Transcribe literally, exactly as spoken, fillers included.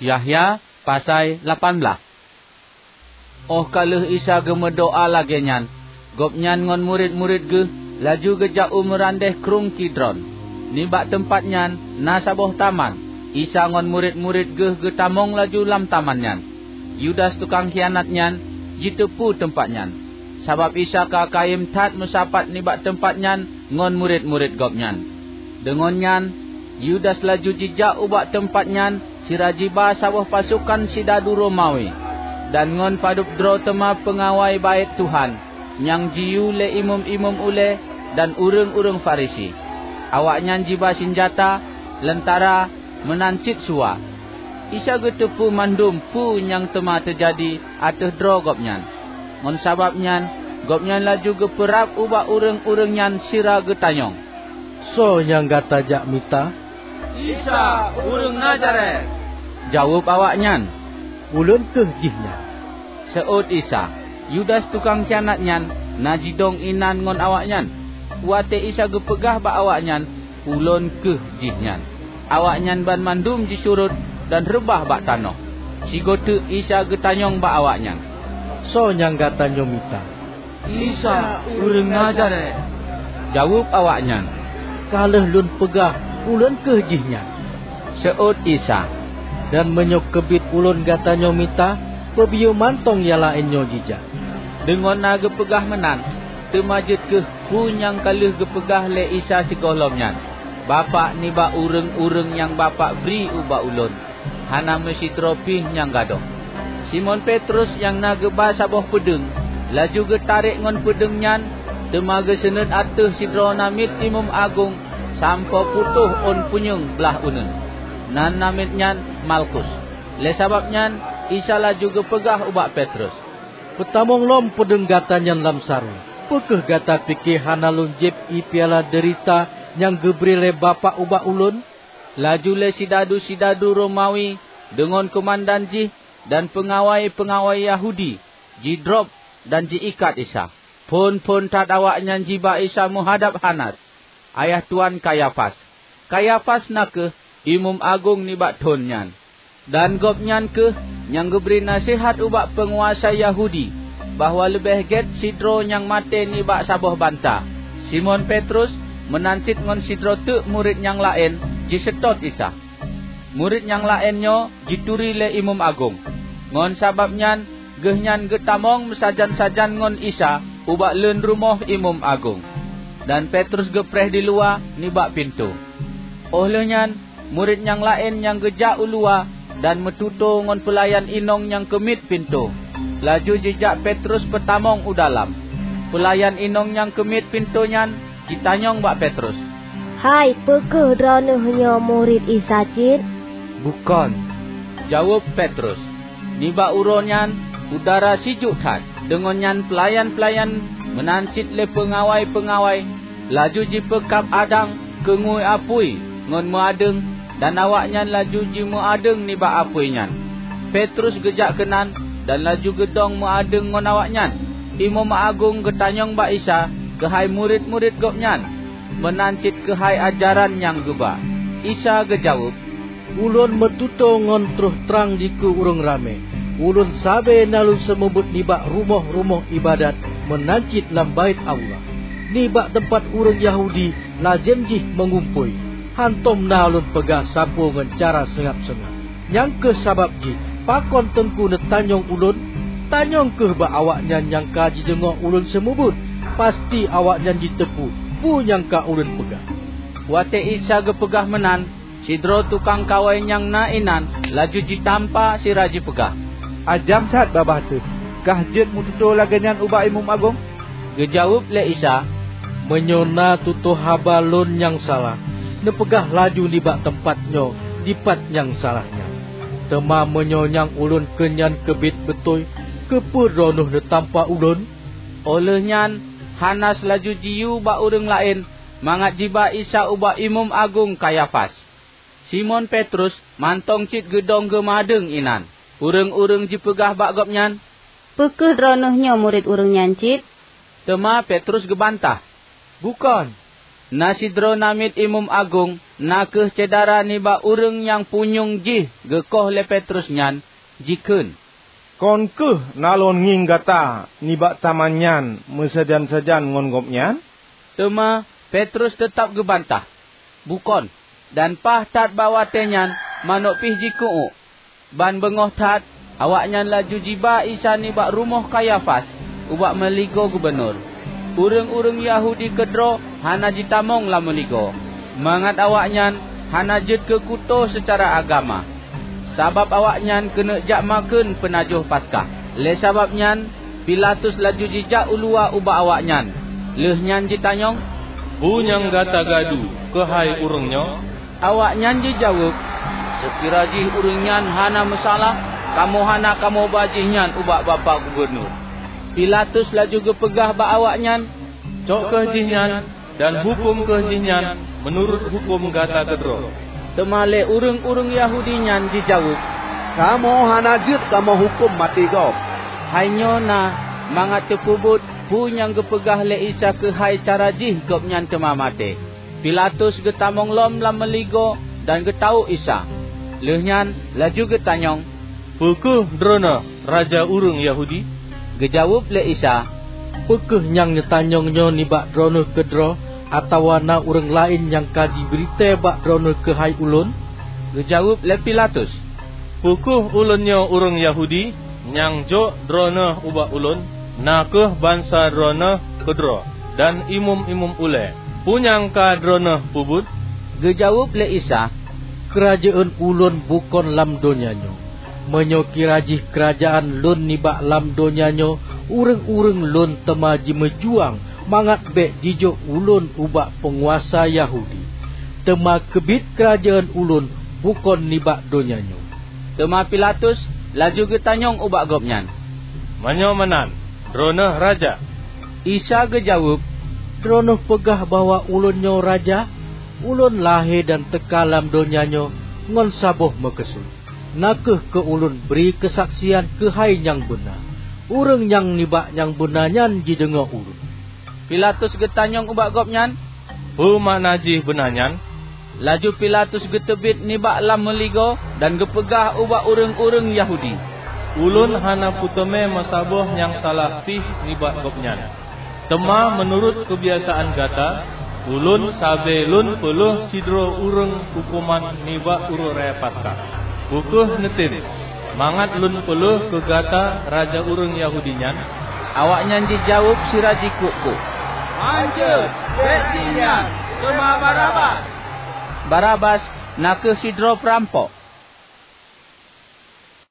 Yahya pasai lapan blaih. Óh ka lheueh Isa geumeudoá lagée nyan, Gobnyan ngon murit-murit Geuh laju geujak u meurandeh Krueng Kidron. Nibak teumpat nyan na saboh taman. Isa ngon murit-murit Geuh geutamong laju lam taman nyan. Yudas tukang khianat nyan jiteupeue teumpat nyan, sabab Isa ka kayém that meusapat nibak teumpat nyan ngon murit-murit Gobnyan. Deungon nyan, Yudas laju jijak ubak teumpat nyan sira jiba saboh pasokan sidadu Romawi, dan ngon padub droe teuma peungawai Baét Tuhan nyang jiyue lé imeum-imeum ulée dan ureuëng-ureuëng Farisi. Awaknyan jiba sinjata, leuntara, meunan cit suwa. Isa geuteupeue mandum peue nyang teuma teujadi ateueh droe Gobnyan. Ngon sabab nyan, Gobnyan laju geupeurab ubak ureuëng-ureuëng nyan sira geutanyong, "Soe nyang gata jak mita?" "Isa, ureuëng Nazaret," jaweueb awaknyan. "Ulôn kheueh jihnyan," seuôt Isa. Yudas tukang khianat nyan na jidong inan ngon awaknyan. Watée Isa geupeugah bak awaknyan, "Ulôn kheueh jihnyan," awaknyan banmandum jisurot dan reubah bak tanoh. Sigoe teuk Isa geutanyong bak awaknyan, "Soe nyang gata nyoe mita?" "Isa, ureuëng Nazaret," jaweueb awaknyan. "Ka lheueh Lôn peugah, 'Ulôn kheueh jihnyan,'" seuôt Isa. "Dan meunyoe keubiet Ulôn gata nyoe mita, peubiyeu mantong nyang laén nyoe jijak." Deungon na geupeugah meunan, teuma jeuet kheueh peue nyang ka lheueh geupeugah lé Isa sigohlom nyan, "Bapak nibak ureuëng-ureuëng nyang Bapak bri ubak Ulôn, hana meusidroe pih nyang gadôh." Simon Petrus nyang na geuba saboh peudeueng, laju geutarek ngon peudeueng nyan, teuma geuseuneut ateueh sidroe namiet imeum agong sampoe putôh ôn punyueng blaih uneuen. Nan namiet nyan Malkus. Lé sabab nyan, Isa laju geupeugah ubak Petrus, "Peutamong lom peudeueng gata nyan lam saroe. Peu kheueh gata pike hana Lôn jieb ié piala deurita nyang geubri lé Bapak ubak Ulôn?" Laju lé sidadu-sidadu Romawi deungon keumandan jih dan peungawai-peungawai Yahudi jidrob dan ji-ikat Isa. Phon-phon that awaknyan jiba Isa meuhadab Hanas, ayah tuan Kayafas. Kayafas na kheueh imeum agong nibak thon nyan. Dan gobnyan kheueh nyang geubri naseuhat ubak peunguasa Yahudi bahwa leubeh gét sidroe nyang maté nibak saboh bansa. Simon Petrus meunan cit ngon sidroe teuk murit nyang laén jiseutôt Isa. Murit nyang laén nyoe jituri lé imeum agong. Ngon sabab nyan, geuhnyan geutamong meusajan-sajan ngon Isa ubak leuen rumoh imeum agong, dan Petrus geupreh diluwa nibak pintoe. Óh lheueh nyan, murit nyang laén nyang geujak u luwa dan meututoe ngon peulayan inong nyang keumiet pintoe, laju jijak Petrus peutamong u dalam. Peulayan inong nyang keumiet pintoe nyan jitanyong bak Petrus, "Hai, peu kheueh droeneueh nyoe murit Isa cit?" "Bukon," jaweueb Petrus. Nibak uroe nyan udara sijuek that. Deungon nyan peulayan-peulayan meunan cit lé peungawai-peungawai laju jipeukab adang keu ngui apui ngon meuadeueng, dan awaknyan laju jimeuadeueng nibak apui nyan. Petrus geujak keunan dan laju geudong meuadeueng ngon awaknyan. Imeum agong geutanyong bak Isa keuhai murit-murit Gobnyan, meunan cit keuhai ajaran nyang geuba. Isa geujaweueb, "Ulôn meututoe ngon troh trang dikeue ureuëng ramé. Ulôn sabe na Lôn seumeubeuet nibak rumoh-rumoh iébadat meunan cit lam Baét Allah. Nibak teumpat ureuëng Yahudi lazem jih meungumpôi, hántom na Lôn peugah sapeue ngon cara seungab-seungab. Nyang kheueh sabab jih pakon Teungku neutanyong Ulôn? Tanyong kheueh bak awaknyan nyang ka jideungoe Ulôn seumeubeuet, pasti awaknyan jiteupeue peue nyang ka Ulôn peugah." Watée Isa geupeugah meunan, sidroe tukang kawai nyang na inan laju jitampa sira jipeugah, "Ajaéb that babah teuh! Kah jeuet meututoe lagée nyan ubak imeum agong?" Geujaweueb lé Isa, "Meunyoe na tutoe haba Lôn nyang salah, neupeugah laju nibak teumpat nyoe dipat nyang salah nyan. Teuma meunyoe nyang Ulôn kheun nyan keubiet beutôi, keupeue droeneueh neutampa Ulôn?" Óh lheueh nyan, Hanas laju jiyue bak ureuëng laén mangat jiba Isa ubak imeum agong Kayafas. Simon Petrus mantong cit geudong geumeuadeueng inan. Ureuëng-ureuëng jipeugah bak gobnyan, "Peu kheueh droeneueh nyoe murit ureuëng nyan cit?" Teuma Petrus geubantah, "Bukon." Na sidroe namiet imeum agong, na kheueh syedara nibak ureuëng nyang punyueng jih geukoh lé Petrus nyan, jikheun, "Kon kheueh na lôn ngieng gata nibak taman nyan meusajan-sajan ngon gobnyan?" Teuma Petrus teutab geubantah, "Bukon!" Dan paih that bak watée nyan manök pih jikeuuek. Ban beungoh that, awaknyan laju jiba Isa nibak rumoh Kayafas, ubak meuligoe gubunur. Ureuëng-ureuëng Yahudi keudroe hana jitamong lam meuligoe, mangat awaknyan hana jeuet keu kuto seucara agama, sabab awaknyan keuneuk jak makheun peunajoh Paskah. Lé sabab nyan, Pilatus laju jijak uluwa ubak awaknyan, lheueh nyan jitanyong, "Peue nyang gata gadu keuhai ureuëng nyoe?" Awaknyan jijaweueb, "Seukira jih ureuëng nyan hana meusalah, kamoe hana kamoe ba jihnyan ubak bapak gubunur." Pilatus laju geupeugah bak awaknyan, "Cok kheueh jihnyan dan huköm kheueh jihnyan meunurot huköm gata keudroe." Teuma lé ureuëng-ureuëng Yahudi nyan jijaweueb, "Kamoe hana jeuet kamoe huköm maté gob." Hai nyoe na mangat teupeubuet peue nyang geupeugah lé Isa keuhai cara jih gobnyan teuma maté. Pilatus geutamong lom lam meuligoe dan geutawök Isa. Lheueh nyan laju geutanyong, "Peu kheueh Droeneueh raja ureuëng Yahudi?" Geujaweueb lé Isa, "Peu kheueh nyang neutanyong nyoe nibak Droeneueh keudroe, atawa na ureuëng laén nyang ka jibritée bak Droeneueh keuhai ulôn?" Geujaweueb lé Pilatus, "Peu kheueh ulôn nyoe ureuëng Yahudi nyang jok Droeneueh ubak ulôn? Na kheueh bansa Droeneueh keudroe dan imeum-imeum ulée. Peue nyang ka Droeneueh peubuet?" Geujaweueb lé Isa, "Keurajeuen ulôn bukon lam donya nyoe. Meunyoe kira jih keurajeuen lôn nibak lam donya nyoe, ureuëng-ureuëng lôn teuma jimeujuang mangat bék jijok ulôn ubak peunguasa Yahudi. Teuma keubiet keurajeuen ulôn bukon nibak donya nyoe." Teuma Pilatus laju geutanyong ubak gobnyan, "Meunyoe meunan, Droeneueh raja?" Isa geujaweueb, "Droeneueh peugah bahwa ulôn nyoe raja? Ulôn lahé dan teuka lam donya nyoe ngon saboh meukeusut, na kheueh keu ulôn bri keusaksian keuhai nyang beuna. Ureuëng nyang nibak nyang beuna nyan jideungoe ulôn." Pilatus geutanyong ubak gobnyan, "Peue makna jih beuna nyan?" Laju Pilatus geuteubiet nibak lam meuligoe dan geupeugah ubak ureuëng-ureuëng Yahudi, "Ulôn hana peuteumé meusaboh nyang salah pih nibak gobnyan. Teuma meunurot keubiasaan gata, ulôn sabe lôn peulheueh sidroe ureuëng huköman nibak uroe raya Paskah. Peu kheueh neutem mangat lôn peulheueh keu gata raja ureuëng Yahudi nyan?" Awaknyan jijaweueb sira jikuk-kuk, "Hanjeuet! Bék jih nyan, teuma Barabas!" Barabas na kheueh sidroe peurampok.